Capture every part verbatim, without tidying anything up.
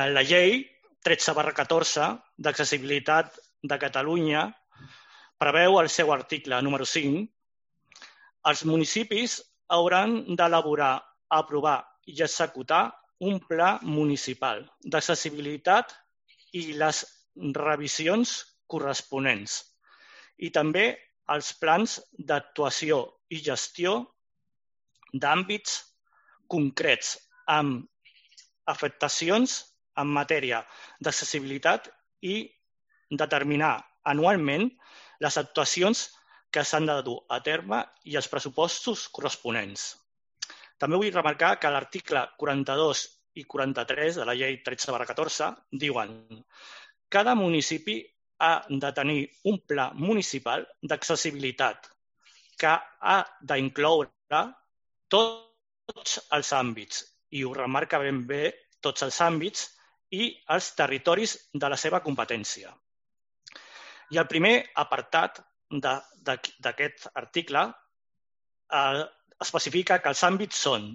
La llei tretze barra catorze d'accessibilitat de Catalunya preveu el seu article número cinc. Els municipis hauran d'elaborar, aprovar i executar un pla municipal d'accessibilitat i les revisions corresponents, i també els plans d'actuació i gestió d'àmbits concrets amb afectacions en matèria d'accessibilitat i determinar anualment les actuacions que s'han de dur a terme i els pressupostos corresponents. També vull remarcar que l'article quaranta-dos i quaranta-tres de la llei tretze barra catorze diuen: cada municipi ha de tenir un pla municipal d'accessibilitat que ha d'incloure tots els àmbits, i ho remarca ben bé, tots els àmbits i els territoris de la seva competència. I el primer apartat d'aquest article especifica que els àmbits són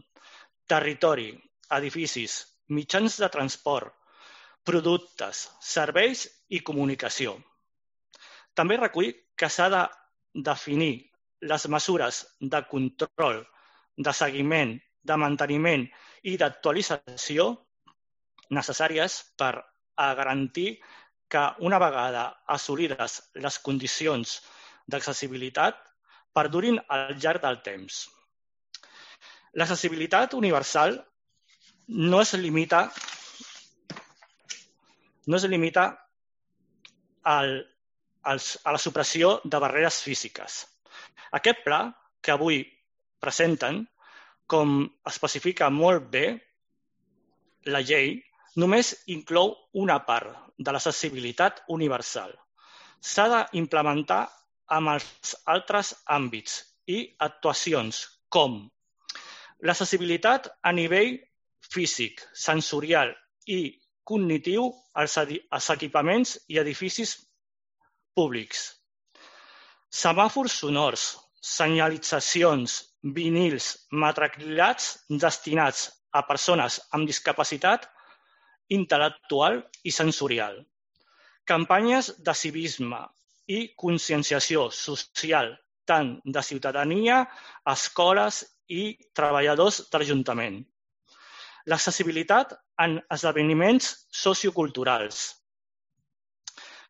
territori, edificis, mitjans de transport, productes, serveis i comunicació. També recull que s'ha de definir les mesures de control, de seguiment, de manteniment i d'actualització necessàries per a garantir que una vegada assolides les condicions d'accessibilitat perdurin al llarg del temps. L'accessibilitat universal no es limita, no es limita al, als, a la supressió de barreres físiques. Aquest pla que avui presenten, com especifica molt bé la llei, només inclou una part de l'accessibilitat universal. S'ha d'implementar amb els altres àmbits i actuacions com l'accessibilitat a nivell físic, sensorial i cognitiu als equipaments i edificis públics, semàfors sonors, senyalitzacions, vinils, matriculats destinats a persones amb discapacitat intel·lectual i sensorial, campanyes de civisme i conscienciació social, tant de ciutadania, escoles i treballadors de l'Ajuntament. L'accessibilitat en esdeveniments socioculturals,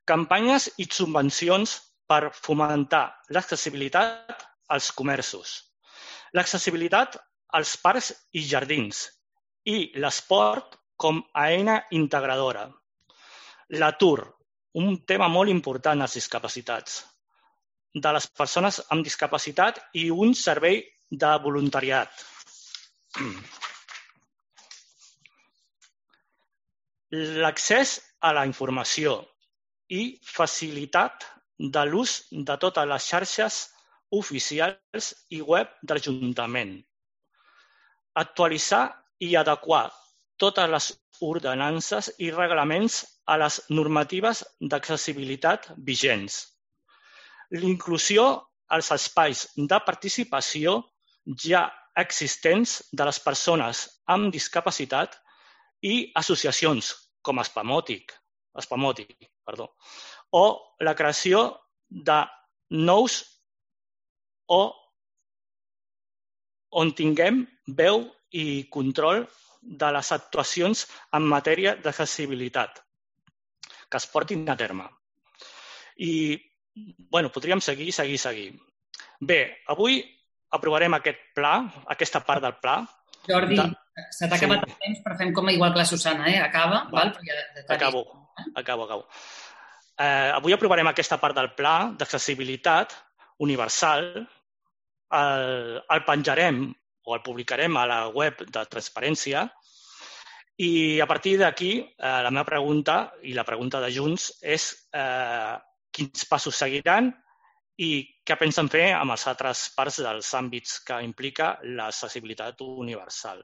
campanyes i subvencions per fomentar l'accessibilitat als comerços, l'accessibilitat als parcs i jardins i l'esport com a eina integradora. L'atur, un tema molt important als discapacitats, de les persones amb discapacitat i un servei de voluntariat. L'accés a la informació i facilitat de l'ús de totes les xarxes oficials i web de l'Ajuntament. Actualitzar i adequar totes les ordenances i reglaments a les normatives d'accessibilitat vigents. L'inclusió als espais de participació ja existents de les persones amb discapacitat i associacions com Spamòtic, Spamòtic, perdó, o la creació de nous o on tinguem veu i control de les actuacions en matèria d'accessibilitat que es portin a terme. I, bueno, podríem seguir, seguir, seguir. Bé, avui aprovarem aquest pla, aquesta part del pla. Jordi, de... se t'ha acabat sí. el temps, però fem com igual que la Susana, eh? Acaba, val? val? Ja, acabo, acabo, acabo. Eh, avui aprovarem aquesta part del pla d'accessibilitat universal. El, el penjarem o el publicarem a la web de Transparència i a partir d'aquí eh, la meva pregunta i la pregunta de Junts és eh, quins passos seguiran i què pensen fer amb les altres parts dels àmbits que implica l'accessibilitat universal.